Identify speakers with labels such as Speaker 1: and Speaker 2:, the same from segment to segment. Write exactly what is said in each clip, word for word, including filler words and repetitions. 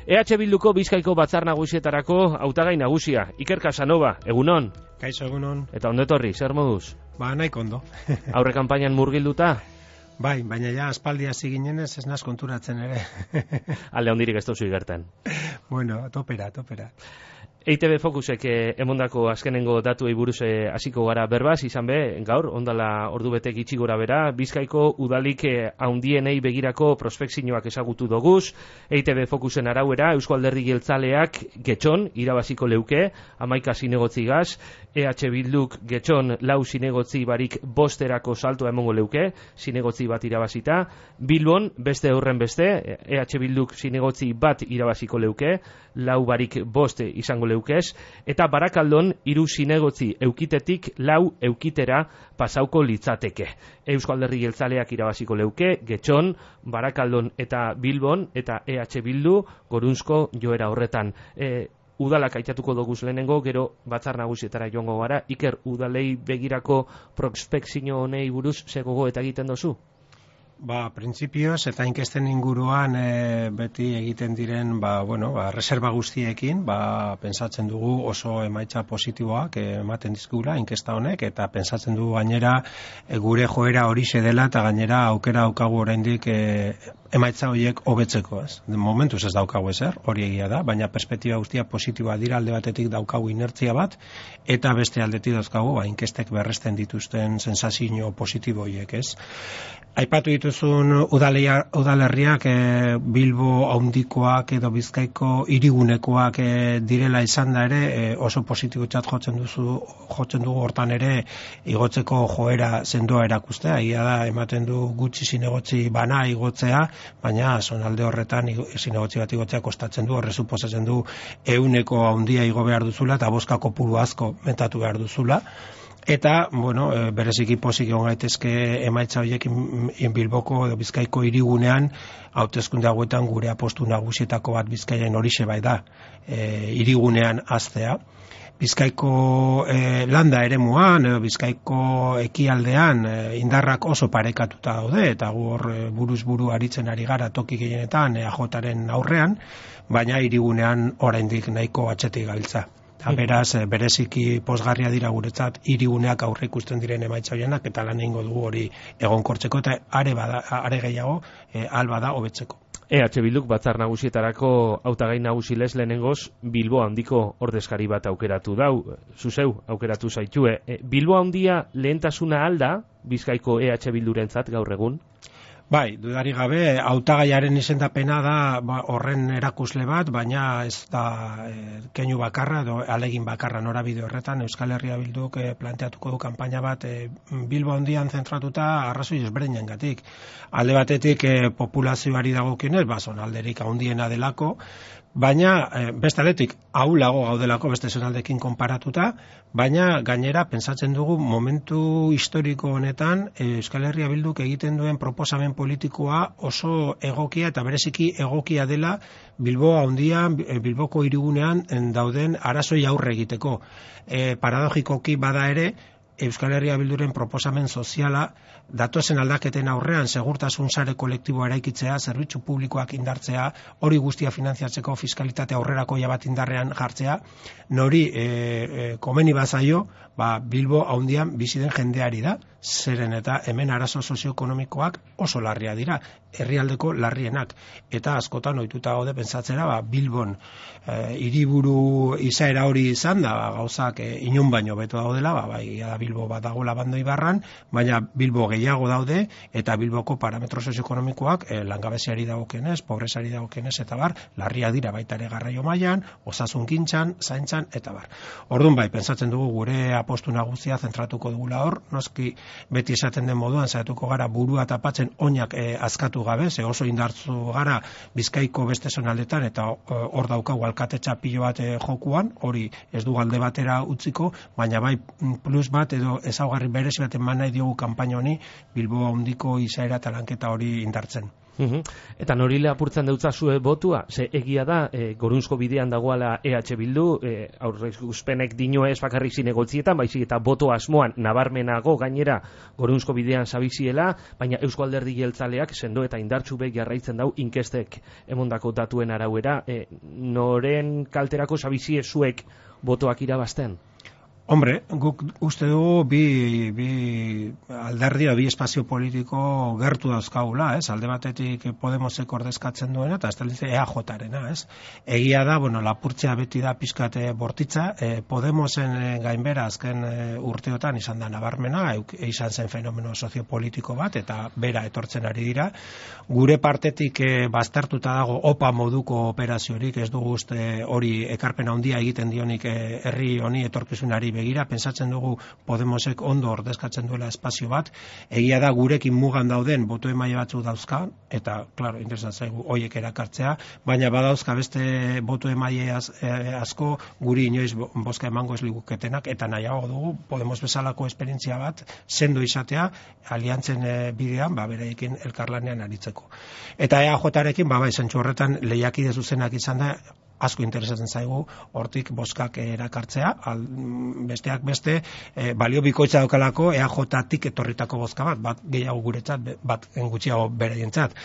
Speaker 1: E H Bilduko Bizkaiko Batzar Nagusietarako hautagai nagusia, Iker Casanova, egunon.
Speaker 2: Kaixo, egunon.
Speaker 1: Eta ondo etorri, zer moduz?
Speaker 2: Ba, nahiko ondo.
Speaker 1: Aurre kanpainan murgilduta?
Speaker 2: Bai, baina ja aspaldi hasi ginenez ez naz konturatzen ere.
Speaker 1: Alde hondirik ez dozu igertan.
Speaker 2: Bueno, topera, topera.
Speaker 1: E I Te Be Focusek eh, emondako azkenengo datuei buruz eh, hasiko gara berbaz, izan be, gaur, ondala ordu betek itxi gora bera, Bizkaiko udalik eh, haundienei begirako prospekzioak ezagutu doguz, E I Te Be Focusen arauera, Eusko Alderdi Jeltzaleak getxon, irabaziko leuke, hamaika zinegotzi gaz, E H Bilduk getxon lau zinegotzi barik bosterako saltoa emongo leuke, zinegotzi bat irabazita, Bilbon, beste horren beste, E H Bilduk zinegotzi bat irabaziko leuke, lau barik boste izango leukez, eta Barakaldon hiru zinegotzi eukitetik lau eukitera pasauko litzateke. Eusko Alderdi Jeltzaleak irabaziko leuke, getxon, Barakaldon eta Bilbon, eta E H Bildu gorunzko joera horretan. E, udalak aitatuko doguz lehenengo, gero Batzar Nagusietara joango gara. Iker, udalei begirako prospekzio honei buruz zegogo eta egiten dozu?
Speaker 2: Ba, printzipioz eta inkesten inguruan e, beti egiten diren, ba, bueno, ba, reserva guztiekin, ba, pensatzen dugu oso emaitza positiboak e, ematen dizkugula inkesta honek, eta pensatzen dugu gainera e, gure joera horixe dela, eta gainera aukera daukagu oraindik e, emaitza horiek hobetzeko, ez? De momentuz ez daukagu ezer, hori egia da, baina perspektiba guztia positiboa dira, alde batetik daukagu inertzia bat, eta beste aldetik dauzkagu, ba, inkestek berresten dituzten sensazio positibo horiek, ez? Aipatu dituzun udalia, udalerriak e, Bilbo haundikoak edo Bizkaiko hirigunekoak e, direla izan da ere e, oso positibotzat jotzen duzu jotzen dugu hortan ere igotzeko joera sendoa erakustea. Egia da ematen du gutxi zinegotzi bana igotzea, baina zonalde horretan zinegotzi bat igotzea kostatzen du, horre suposatzen du ehuneko haundia igo behar duzula eta boska kopuru asko metatu behar duzula. Eta, bueno, bereziki pozik egon gaitezke emaitza horiekin Bilboko edo Bizkaiko hirigunean, hauteskunde hauetan gure apostu nagusietako bat Bizkaian horixe bai da, e, hirigunean hastea. Bizkaiko e, landa eremuan, edo Bizkaiko ekialdean e, indarrak oso parekatuta daude, eta gu hor e, buruz buru aritzen ari gara toki gehienetan E A Jaren aurrean, baina hirigunean oraindik nahiko atzetik gabiltza. Eta beraz, bereziki pozgarria dira guretzat hiriguneak aurre ikusten diren emaitza horienak, eta lan egingo dugu hori egonkortzeko, eta are, bada, are gehiago e, alba da hobetzeko.
Speaker 1: E H Bilduk Batzar Nagusietarako hautagai nagusi lez lehenengoz Bilbo handiko ordezkari bat aukeratu dau, zuzeu aukeratu zaitue. E, Bilbo handia lehentasuna alda Bizkaiko E H Bildurentzat gaur egun?
Speaker 2: Bai, dudari gabe, hautagaiaren izendapena da ba, horren erakusle bat, baina ez da e, keinu bakarra, edo alegin bakarra norabide horretan. Euskal Herria Bilduk e, planteatuko du kanpaina bat e, Bilbo handian zentratuta arrazoi ezberdinengatik. Alde batetik e, populazioari dagokionez, ba, zonalderik handiena delako, baina e, beste aldetik ahulago gaudelako beste zonaldekin konparatuta, baina gainera pentsatzen dugu momentu historiko honetan e, Euskal Herria Bilduk egiten duen proposamen politikoa oso egokia eta bereziki egokia dela Bilbo handian, Bilboko hirigunean dauden arazoi aurre egiteko. E, paradogikoki bada ere, Euskal Herria Bilduren proposamen soziala datozen aldaketen aurrean segurtasun sare kolektiboa eraikitzea, zerbitzu publikoak indartzea, hori guztia finantziatzeko fiskalitate aurrerakoia bat indarrean jartzea, nori e, e, komeni bazaio, ba, Bilbo haundian bizi den jendeari da, zeren eta hemen arazo sozioekonomikoak oso larria dira, herrialdeko larrienak, eta askotan ohituta gaude pentsatzera, ba, Bilbon e, hiriburu izaera hori izan da, ba, gauzak e, inon baino beto daudela, ba, bai, da Bilbo bat dagoela Bando Ibarran, baina Bilbo gehiago daude, eta Bilboko parametro sozioekonomikoak e, langabeziari dagokienez, pobresari dagokienez, eta bar, larria dira baita ere garraio mailan, osasungintzan, zaintzan, eta bar. Orduan bai, pentsatzen dugu gure apostu nagusia zentratuko dugula hor, noski beti esaten den moduan saiatuko gara burua tapatzen oinak e, azkatu gabe, ze oso indartzu gara Bizkaiko beste zonaldetan, eta hor e, daukagu alkatetza pilo bat e, jokuan, hori ez du alde batera utziko, baina bai plus bat edo ezaugarri berezi bat eman nahi diogu kanpaina honi Bilbo handiko izaera eta lanketa hori indartzen.
Speaker 1: Uhum. Eta nori lapurtzen deutzazue botua, ze egia da, e, gorunzko bidean dagoala E H Bildu, e, aurreizpenek dino ez bakarrik zinegotzietan, baizik eta boto asmoan nabarmenago gainera gorunzko bidean zabiziela, baina Eusko Alderdi Jeltzaleak sendo eta indartsu be jarraitzen dau inkestek emondako datuen arauera, e, noren kalterako zabizie zuek botoak irabazten?
Speaker 2: Hombre, guk uste dugu bi, bi alderdia, bi espazio politiko gertu dauzkagula, ez? Alde batetik Podemosek ordezkatzen duena, eta ez E A J-arena, ez? Egia da, bueno, lapurtzea beti da pizkate bortitza, e, Podemosen gainbera azken e, urteotan izan da nabarmena, euk, izan zen fenomeno soziopolitiko bat, eta bera etortzen ari dira. Gure partetik e, baztertuta dago opa moduko operaziorik, ez dugu uste hori ekarpena handia egiten dionik e, herri honi etorkizunari begira, pentsatzen dugu Podemosek ondo ordezkatzen duela espazio bat, egia da gurekin mugan dauden boto emaile batzuk dauzka, eta, klaro, interesan zaigu hoiek erakartzea, baina badauzka beste boto emaile az, eh, asko guri inoiz bozka emango ez liguketenak, eta nahiago dugu Podemos bezalako esperientzia bat sendo izatea, aliantzen eh, bidean, ba, bereekin elkarlanean aritzeko. Eta E A J-arekin, ba, bai, zentsu horretan lehiakide zuzenak izan da, asko interesatzen zaigu hortik bozkak erakartzea, al, besteak beste e, balio bikoitza daukalako E A J-tik etorritako bozka bat, bat gehiago guretzat, bat gutxiago beraientzat.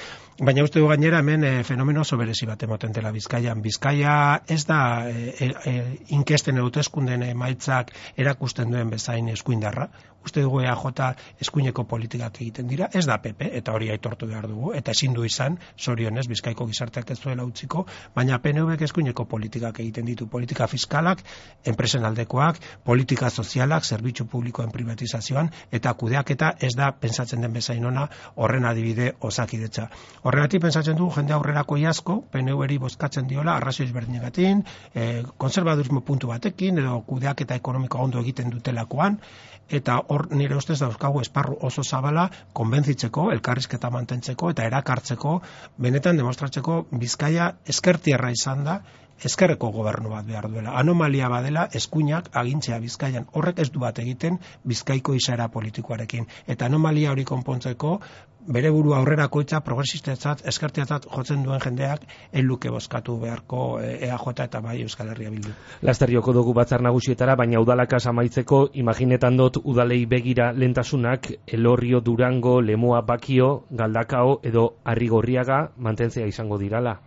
Speaker 2: Baina uste du gainera hemen e, fenomeno oso berezi bat emoten dela Bizkaian. Bizkaia ez da e, e, inkesten hauteskunden emaitzak erakusten duen bezain eskuindarra. Uste dugu E A J eskuineko politikak egiten dira, ez da P P, eta hori aitortu behar dugu, eta ezin du izan, zorionez, Bizkaiko gizarteak ez duela utziko, baina P N V eskuineko politikak egiten ditu, politika fiskalak, enpresen aldekoak, politika sozialak, zerbitzu publikoen privatizazioan, eta kudeaketa ez da pentsatzen den bezain ona horren adibide Osakidetza. Horregatik pentsatzen dugu jende aurrerako asko P N V-eri bozkatzen diola arrazoi ezberdinegatik, eh, konservadurismo puntu batekin, edo kudeaketa ekonomikoa ondo egiten dutelakoan, eta hor nire ustez dauzkagu esparru oso zabala konbentzitzeko, elkarrizketa mantentzeko eta erakartzeko, benetan demostratzeko Bizkaia ezkertierra izan da, ezkerreko gobernu bat behar duela. Anomalia badela eskuinak agintzea Bizkaian. Horrek ez du bat egiten Bizkaiko izaera politikoarekin. Eta anomalia hori konpontzeko bere burua aurrerakoitza progresistetzat, ezkertiatzat jotzen duen jendeak eluke bozkatu beharko E A J eta bai Euskal Herria Bildu.
Speaker 1: Laster joko dugu batzar nagusietara, baina udalakaz amaitzeko, imaginetan dut udalei begira lentasunak Elorrio, Durango, Lemoa, Bakio, Galdakao edo Arrigorriaga mantentzea izango dirala.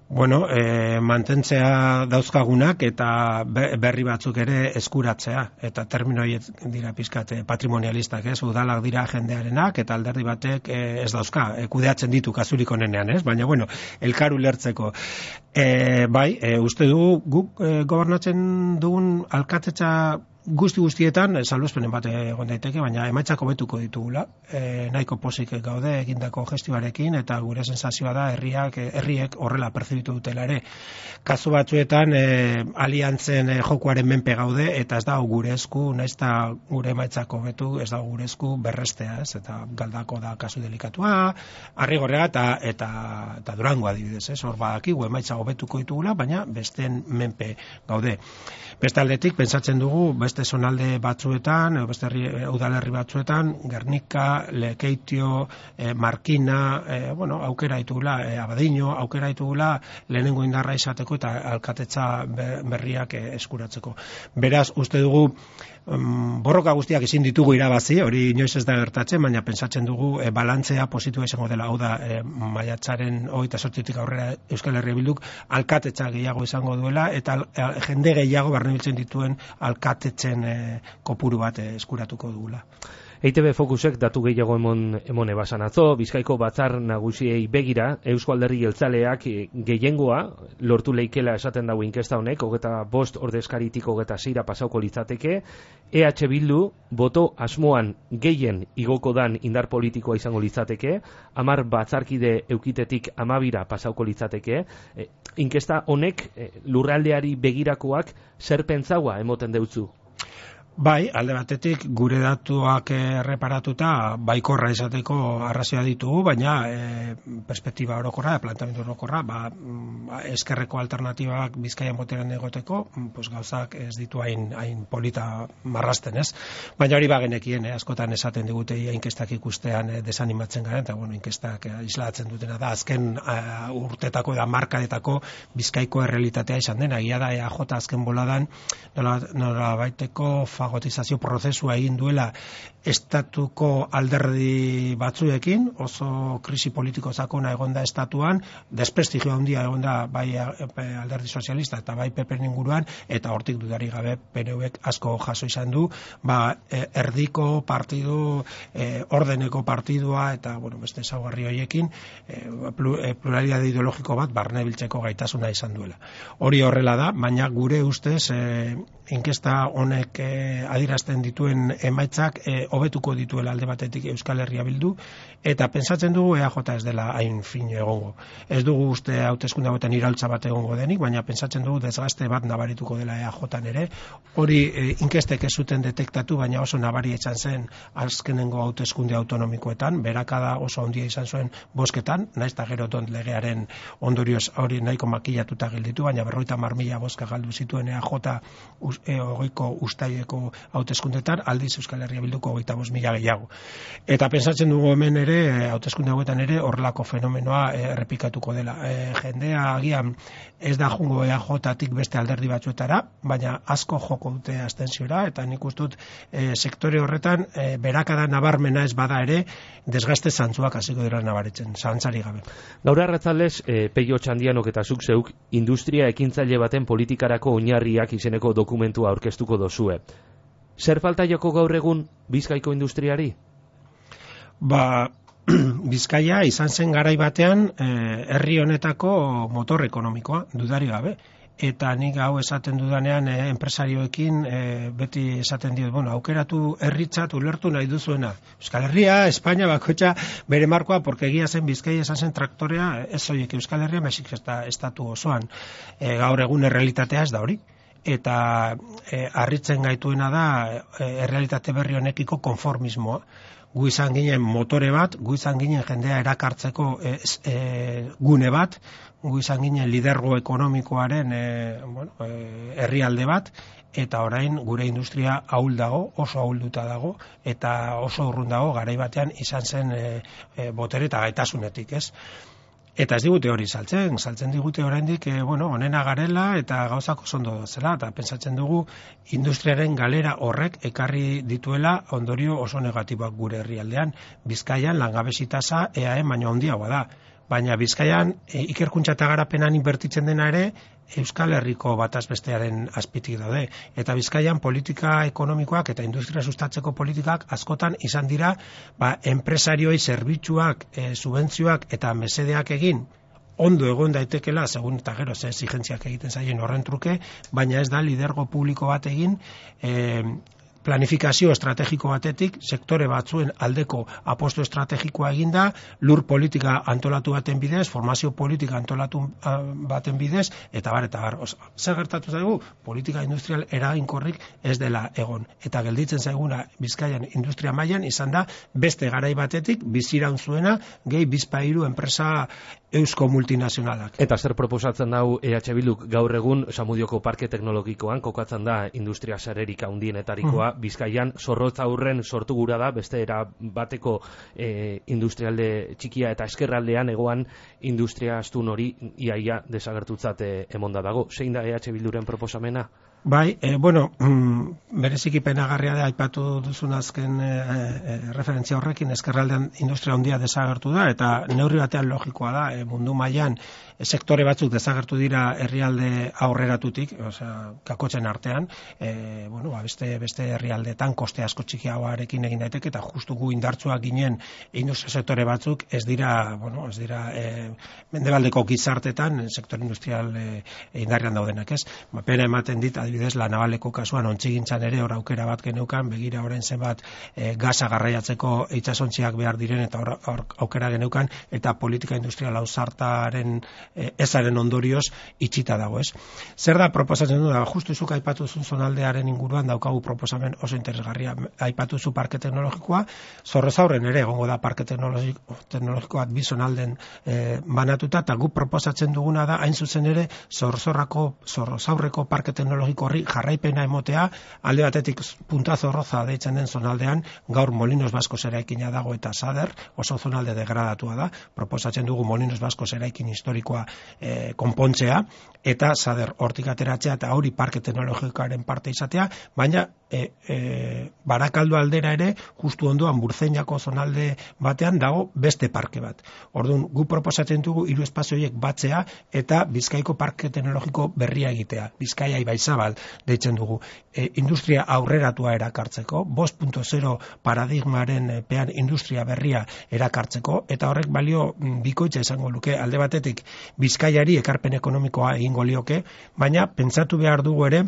Speaker 2: Bueno, e, mantentzea dauzkagunak eta berri batzuk ere eskuratzea, eta termino horiek dira pizkat patrimonialistak, ez, udalak dira jendearenak, eta alderdi batek e, ez dauzka, e, kudeatzen ditu kasurik onenean, ez, baina bueno, elkar ulertzeko. E, bai, e, uste du guk e, gobernatzen dugun alkatetza guzti guztietan, salbuespenen bat egon daiteke, baina emaitzak hobetuko ditugula. E, nahiko pozik gaude egindako gestioarekin, eta gure sensazioa da herriak, herriek horrela perzibitu dutela ere. Kasu batzuetan e, aliantzen e, jokuaren menpe gaude, eta ez da gure esku, naizta gure emaitzak hobetu, ez da gure esku berrestea, ez, eta Galdako da kasu delikatua, Arrigorriaga eta, eta, eta Durango adibidez, ez, hor badakigu emaitza hobetuko ditugula, baina besteen menpe gaude. Beste aldetik, pentsatzen dugu, beste zonalde batzuetan, beste herri, udalerri batzuetan, Gernika, Lekeitio, eh, Markina, eh, bueno, aukera ditugula, eh, Abadiño, aukera ditugula lehenengo indarra izateko eta alkatetza berriak eh, eskuratzeko. Beraz, uste dugu, um, borroka guztiak ezin ditugu irabazi, hori inoiz ez da gertatzen, baina pentsatzen dugu e, balantzea positua izango dela, hau da, e, maiatzaren hogeita zortzitik aurrera Euskal Herria Bilduk alkatetza gehiago izango duela, eta e, jende gehiago barnebiltzen dituen alkatetzen e, kopuru bat e, eskuratuko dugula.
Speaker 1: E I Te Be Fokusek datu gehiago emon, emone basan atzo, Bizkaiko batzar nagusiei begira, Eusko Alderdi Jeltzaleak gehiengoa lortu leikela esaten dago inkesta honek, hogeta bost ordezkaritik hogeta seira pasauko litzateke, E H Bildu boto asmoan gehien igoko dan indar politikoa izango litzateke, hamar batzarkide eukitetik amabira pasauko litzateke, e, inkesta honek e, lurraldeari begirakoak zer pentsaua emoten deutzu?
Speaker 2: Bai, alde batetik gure datuak erreparatuta baikorra izateko arrazioa ditugu, baina e, perspektiba orokorra, planteamendu orokorra, ba, eskerreko alternatibak Bizkaian boteran egoteko, pues gauzak ez ditu hain, hain polita marrasten, ez? Baina hori bagenekien, eh, askotan esaten digute inkestak ikustean eh, desanimatzen garen, eta bueno, inkestak eh, islatzen dutena da, azken uh, urtetako eta markadetako Bizkaiko errealitatea izan dena, egia da E A J azken boladan nola, nola baiteko fagotizazio prozesua egin duela estatuko alderdi batzuekin, oso krisi politiko sakona egonda estatuan, desprestigio handia egonda bai alderdi sozialista eta bai P Pren inguruan, eta hortik dudari gabe P N Vek asko jaso izan du, ba, erdiko partidu, eh, ordeneko partidua, eta bueno, beste ezaugarri horiekin eh, pluralidade ideologiko bat barne biltzeko gaitasuna izan duela. Hori horrela da, baina gure ustez eh, inkesta honek eh, adierazten dituen emaitzak eh, hobetuko dituela alde batetik Euskal Herria Bildu, eta pentsatzen dugu E A J ez dela hain fin egongo. Ez dugu uste hauteskunde hauetan iraultza bat egongo denik, baina pentsatzen dugu desgaste bat nabarituko dela E A J-an ere. Hori eh, inkestek ez zuten detektatu, baina oso nabari izan zen azkenengo hauteskunde autonomikoetan, berakada oso handia izan zuen bozketan, naiz eta gero don legearen ondorioz hori nahiko makillatuta gelditu, baina berrogeita hamar mila bozka galdu zituen E A J e, hogeiko ustaileko hauteskundetan, aldiz Euskal Herria Bilduko hogeita bost mila gehiago. Eta pentsatzen dugu hemen ere, hauteskunde hauetan ere, horrelako fenomenoa e, errepikatuko dela. E, jendea agian ez da jungo E A J-tik beste alderdi batzuetara, baina asko joko dute abstentziora, eta nik uste dut e, sektore horretan e, berakada nabarmena ez bada ere, desgaste zantzuak hasiko dira nabaritzen, zalantzari gabe.
Speaker 1: Gaur arratzaldez, e, Peio Txandianok eta zuk zeuk industria ekintzaile baten politikarako oinarriak izeneko dokumentua aurkeztuko dozue. Zer falta joko gaur egun Bizkaiko industriari?
Speaker 2: Ba, Bizkaia izan zen garai batean eh, herri honetako motor ekonomikoa, dudari gabe. Eta nik hau esaten dudanean eh, enpresarioekin eh, beti esaten diot, bueno, aukeratu herritzat ulertu nahi duzuena. Euskal Herria, Espainia bakoitza bere markoa, porque egia zen Bizkaia izan zen traktorea, ez horiek Euskal Herria, mesik estatu osoan. E, gaur egun errealitatea ez da hori. Eta e, harritzen gaituena da e, errealitate berri honekiko konformismoa. Gu izan ginen motore bat, gu izan ginen jendea erakartzeko e, e, gune bat, gu izan ginen lidergo ekonomikoaren e, bueno, e, herrialde bat, eta orain gure industria ahul dago, oso ahulduta dago, eta oso urrun dago garai batean izan zen e, e, botere eta gaitasunetik, ez? Eta ez digute hori saltzen, saltzen digute oraindik e, bueno, onena garela eta gauzak oso ondo dozela, eta pentsatzen dugu industriaren galera horrek ekarri dituela ondorio oso negatiboak gure herrialdean. Bizkaian langabezi tasa E A E baino handiagoa da, baina Bizkaian e, ikerkuntza eta garapenan inbertitzen dena ere Euskal Herriko bataz bestearen azpitik daude. Eta Bizkaian politika ekonomikoak eta industria sustatzeko politikak askotan izan dira ba, enpresarioi zerbitzuak, e, subentzioak eta mesedeak egin ondo egon daitekela, segun eta gero ze exigentziak egiten zaien horren truke, baina ez da lidergo publiko bat egin e, planifikazio estrategiko batetik, sektore batzuen aldeko aposto estrategikoa eginda, lur politika antolatu baten bidez, formazio politika antolatu baten bidez, eta bar, eta bar. Zer gertatu zaigu? Politika industrial eraginkorrik ez dela egon. Eta gelditzen zaiguna Bizkaian industria mailan izan da, beste garai batetik, biziraun zuena, gehi bizpahiru enpresa eusko multinazionalak.
Speaker 1: Eta zer proposatzen dau E H Bilduk gaur egun Samudioko parke teknologikoan kokatzen da industria sarerik handienetarikoa, mm. Bizkaian zorrotz aurren sortu gura da, beste era bateko e, industrialde txikia eta eskerraldean egoan industria astun hori iaia desagertutzat emonda dago. Zein da E H Bilduren proposamena?
Speaker 2: Bai, e, bueno, mm, bereziki penagarria da aipatu duzun azken e, e, referentzia horrekin, eskerraldean industria handia desagertu da, eta neurri batean logikoa da, e, mundu mailan e, sektore batzuk desagertu dira herrialde aurreratutik, osea, kakotzen artean, e, bueno, ba, beste, beste herrialdetan koste asko txikiagoarekin egin daiteke, eta justu gu indartsuak ginen industria sektore batzuk ez dira, bueno, ez dira e, mendebaldeko gizartetan, sektore industrial e, indarrean daudenak, ez? Ba, pena ematen dit, adibidez, La Navaleko kasuan ontzigintzan ere hor aukera bat geneukan, begira orain zenbat e, gaza garraiatzeko itsasontziak behar diren eta hor, hor aukera geneukan, eta politika industrial ausartaren e, ezaren ondorioz itxita dago, ez? Zer da proposatzen du da, justu zuk aipatu zuen zonaldearen inguruan daukagu proposamen oso interesgarria. Aipatu zu parke teknologikoa, Zorrozaurren ere egongo da parke teknologiko, teknologikoa bi zonalden e, banatuta, eta guk proposatzen duguna da, hain zuzen ere, Zorrozarreko, Zorrozaurreko parke teknologiko horri jarraipena emotea, alde batetik Punta Zorroza deitzen den zonaldean, gaur Molinos Baskos eraikina dago eta Sader, oso zonalde degradatua da, proposatzen dugu Molinos Baskos eraikin historikoa e, konpontzea, eta Sader hortik ateratzea, eta hori parke teknologikoaren parte izatea, baina e, e, Barakaldo aldera ere, justu ondoan Burtzeinako zonalde batean dago beste parke bat. Orduan, gu proposatzen dugu hiru espazio horiek batzea eta Bizkaiko parke teknologiko berria egitea. Bizkaia Ibaizabal deitzen dugu. E, industria aurreratua erakartzeko, bost puntu zero paradigmaren pean industria berria erakartzeko, eta horrek balio bikoitza izango luke, alde batetik Bizkaiari ekarpen ekonomikoa egingo lioke, baina pentsatu behar dugu ere,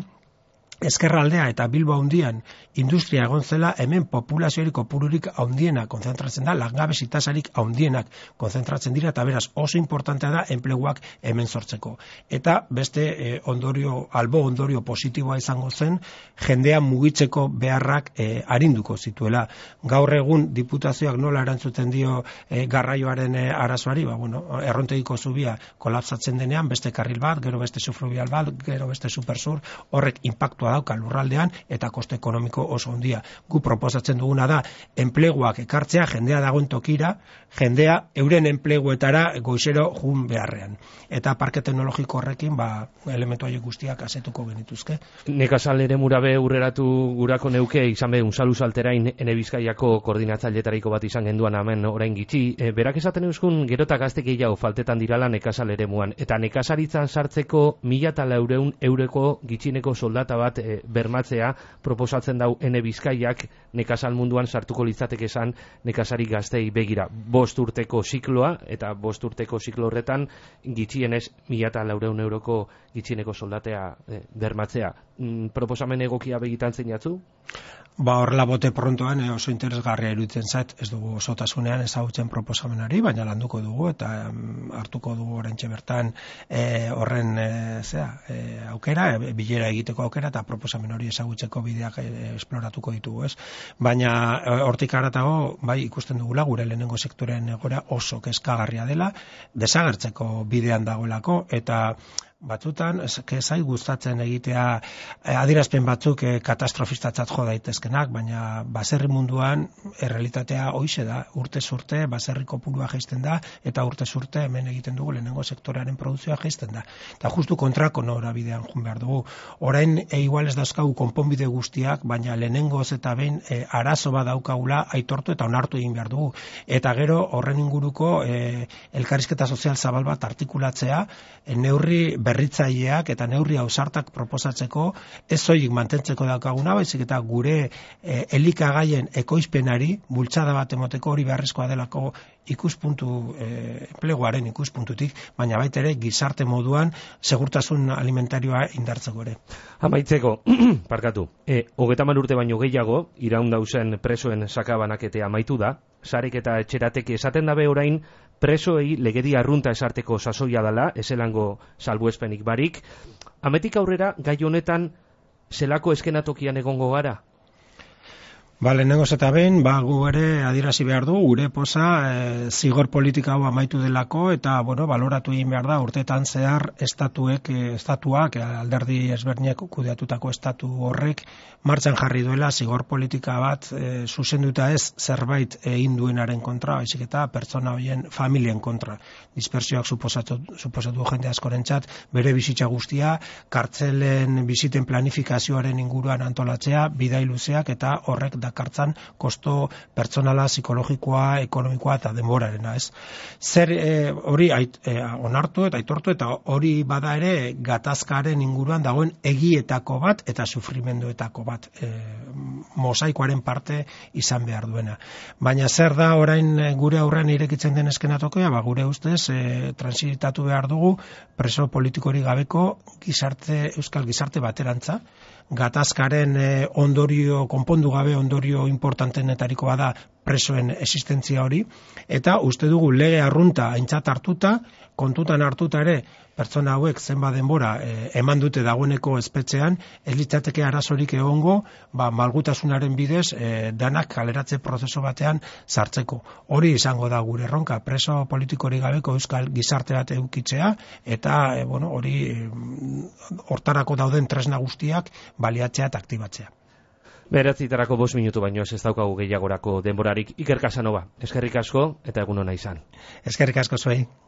Speaker 2: Ezkerraldea eta Bilbo handian industria egon zela, hemen populazioari kopururik handiena konzentratzen da, langabezi tasarik handienak konzentratzen dira, eta beraz oso importantea da enpleguak hemen sortzeko. Eta beste eh, ondorio, albo ondorio positiboa izango zen, jendea mugitzeko beharrak eh, arinduko zituela. Gaur egun diputazioak nola erantzuten dio eh, garraioaren eh, arazoari, ba, bueno, errontegiko zubia kolapsatzen denean, beste karril bat, gero beste subfluvial bat, gero beste supersur, horrek inpaktua dauka lurraldean eta koste ekonomiko oso handia. Gu proposatzen duguna da enpleguak ekartzea, jendea dagoen tokira, jendea euren enpleguetara goizero jun beharrean. Eta parke teknologiko horrekin ba, elementu horiek guztiak asetuko genituzke.
Speaker 1: Nekazal ere murabe urreratu gurako neuke izan be unzalu salterain ene Bizkaiako koordinatzailetariko bat izan genduan hemen orain gitxi. E, berak esaten euskun gerota gazte gehiago faltetan dirala nekazal eremuan. Eta nekazaritzan sartzeko mila eta laureun eureko gitxineko soldata bat e, bermatzea proposatzen dau ene Bizkaiak nekazal munduan sartuko litzateke esan nekazari gaztei begira. Bost urteko zikloa eta bost urteko ziklo horretan gitxienez mila eta laureun euroko gitxieneko soldatea e, bermatzea. Mm, proposamen egokia begitan zeinatzu?
Speaker 2: Ba, horrela bote prontoan eh, oso interesgarria iruditzen zait, ez dugu osotasunean ezagutzen proposamenari, baina landuko dugu eta um, hartuko dugu oraintxe bertan eh, horren eh, zera, eh, aukera, eh, bilera egiteko aukera eta proposamen hori ezagutzeko bideak eh, esploratuko ditugu, ez? Baina eh, hortik haratago, bai, ikusten dugula gure lehenengo sektorean egora oso kezkagarria dela, desagertzeko bidean dagoelako, eta batzutan, zai gustatzen egitea eh, adierazpen batzuk eh, katastrofistatzat jo daitezkenak, baina baserri munduan errealitatea hoize da, urte urte baserri kopurua jaisten da, eta urte urte hemen egiten dugu lehenengo sektorearen produkzioa jaisten da. Eta justu kontrako norabidean jun behar dugu. Orain e, igual ez dauzkagu konponbide guztiak, baina lehenengoz eta behin e, arazo bat daukagula aitortu eta onartu egin behar dugu. Eta gero horren inguruko e, elkarrizketa sozial zabal bat artikulatzea, e, neurri berritzaileak eta neurri ausartak proposatzeko, ez soilik mantentzeko daukaguna, baizik eta gure e, elikagaien ekoizpenari bultzada bat emoteko hori beharrezkoa delako ikuspuntu e, enpleguaren ikuspuntutik, baina baita ere gizarte moduan segurtasun alimentarioa indartzeko ere.
Speaker 1: Amaitzeko, parkatu, e, hogeita hamar urte baino gehiago, iraun dauzen presoen sakabanaketea amaitu da, sarek eta etxeratek esaten dabe orain presoei legedi arrunta esarteko sasoia dela, ezelango salbuespenik barik. Ametik aurrera, gai honetan, zelako eskenatokian egongo gara?
Speaker 2: Ba, lehenengoz eta behin, ba, gu ere adierazi behar du, gure poza e, zigor politika hau amaitu delako, eta, bueno, baloratu egin behar da, urtetan zehar estatuek, e, estatuak, e, alderdi ezberdinek kudeatutako estatu horrek, martxan jarri duela zigor politika bat e, zuzenduta ez zerbait egin duenaren kontra, baizik eta pertsona horien familien kontra. Dispersioak suposatu, suposatu jende askorentzat, bere bizitza guztia, kartzelen biziten planifikazioaren inguruan antolatzea, bidai luzeak, eta horrek dakartzan kosto pertsonala, psikologikoa, ekonomikoa eta denborarena, ez? Zer hori e, onartu eta aitortu eta hori bada ere gatazkaren inguruan dagoen egietako bat eta sufrimenduetako bat, e, mosaikoaren parte izan behar duena. Baina zer da orain gure aurrean irekitzen den eskenatokia, ba, gure ustez e, transitatu behar dugu preso politikorik gabeko gizarte, euskal gizarte baterantza, gatazkaren e, ondorio, konpondu gabe ondorio importantenetariko bada presoen existentzia hori, eta uste dugu lege arrunta aintzat hartuta, kontutan hartuta ere, pertsona hauek zenba denbora e, eman dute dagoeneko espetxean, ez litzateke arazorik egongo, ba, malgutasunaren bidez, e, danak kaleratze prozesu batean sartzeko. Hori izango da gure erronka, preso politikorik gabeko euskal gizarte bat edukitzea, eta e, bueno, hori e, hortarako dauden tresna guztiak baliatzea eta aktibatzea.
Speaker 1: Beratzitarako bost minutu baino ez daukagu gehiagorako denborarik. Iker Casanova, eskerrik asko eta egun ona izan.
Speaker 2: Eskerrik asko zuei.